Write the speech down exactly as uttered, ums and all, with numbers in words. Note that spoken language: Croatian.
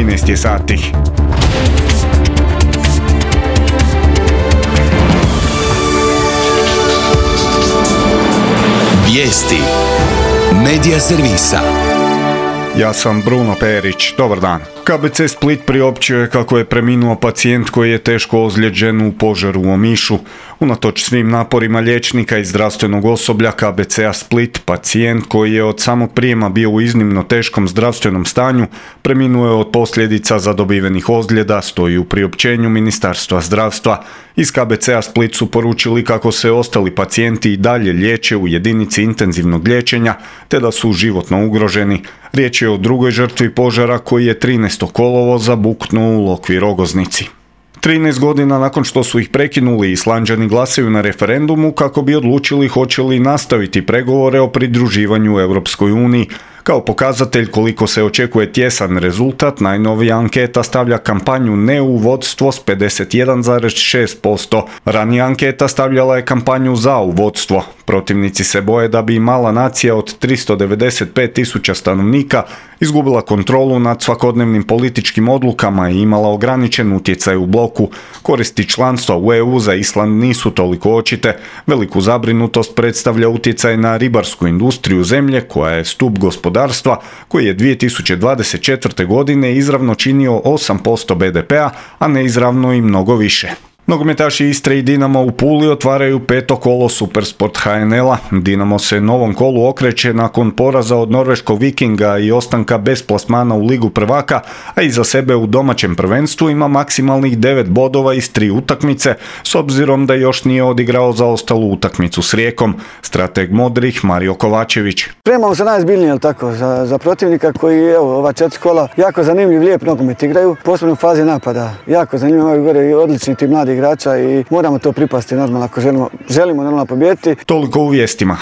trinaest je sati. Vijesti Medija servisa. Ja sam Bruno Perić, dobar dan. K B C Split priopćio je kako je preminuo pacijent koji je teško ozlijeđen u požaru u Omišu. Unatoč svim naporima liječnika i zdravstvenog osoblja K B C-a Split, pacijent koji je od samog prijema bio u iznimno teškom zdravstvenom stanju, preminuo je od posljedica zadobivenih ozljeda, stoji u priopćenju Ministarstva zdravstva. Iz K B C-a Split su poručili kako se ostali pacijenti i dalje liječe u jedinici intenzivnog liječenja, te da su životno ugroženi. Riječ je o drugoj žrtvi požara koji je trinaestog kolovoza buknuo u Lokvi Rogoznici. trinaest godina nakon što su ih prekinuli, Islanđani glasaju na referendumu kako bi odlučili hoće li nastaviti pregovore o pridruživanju Europskoj uniji. Kao pokazatelj koliko se očekuje tjesan rezultat, najnovija anketa stavlja kampanju ne u vodstvo s pedeset jedan zarez šest posto. Ranija anketa stavljala je kampanju za u vodstvo. Protivnici se boje da bi mala nacija od tristo devedeset pet tisuća stanovnika izgubila kontrolu nad svakodnevnim političkim odlukama i imala ograničen utjecaj u bloku. Koristi članstva u E U za Island nisu toliko očite. Veliku zabrinutost predstavlja utjecaj na ribarsku industriju zemlje koja je stup gospodarstva koji je dvije tisuće dvadeset četvrte. godine izravno činio osam posto be de pea, a neizravno i mnogo više. Nogometaši Istre i Dinamo u Puli otvaraju peto kolo Supersport H N L-a. Dinamo se novom kolu okreće nakon poraza od norveškog Vikinga i ostanka bez plasmana u Ligu prvaka, a iza sebe u domaćem prvenstvu ima maksimalnih devet bodova iz tri utakmice, s obzirom da još nije odigrao zaostalu utakmicu s Rijekom. Strateg modrih Mario Kovačević. Spremamo se najzbiljnije, jel tako, za, za protivnika koji, evo, ova četiri kola, jako zanimljiv, lijep nogomet igraju, posebno u fazi napada. Jako zanimljivo, ovaj gore i odlični ti mladi igrača i moramo to pripasti normalno ako želimo, želimo normalno pobijediti. Toliko u vijestima.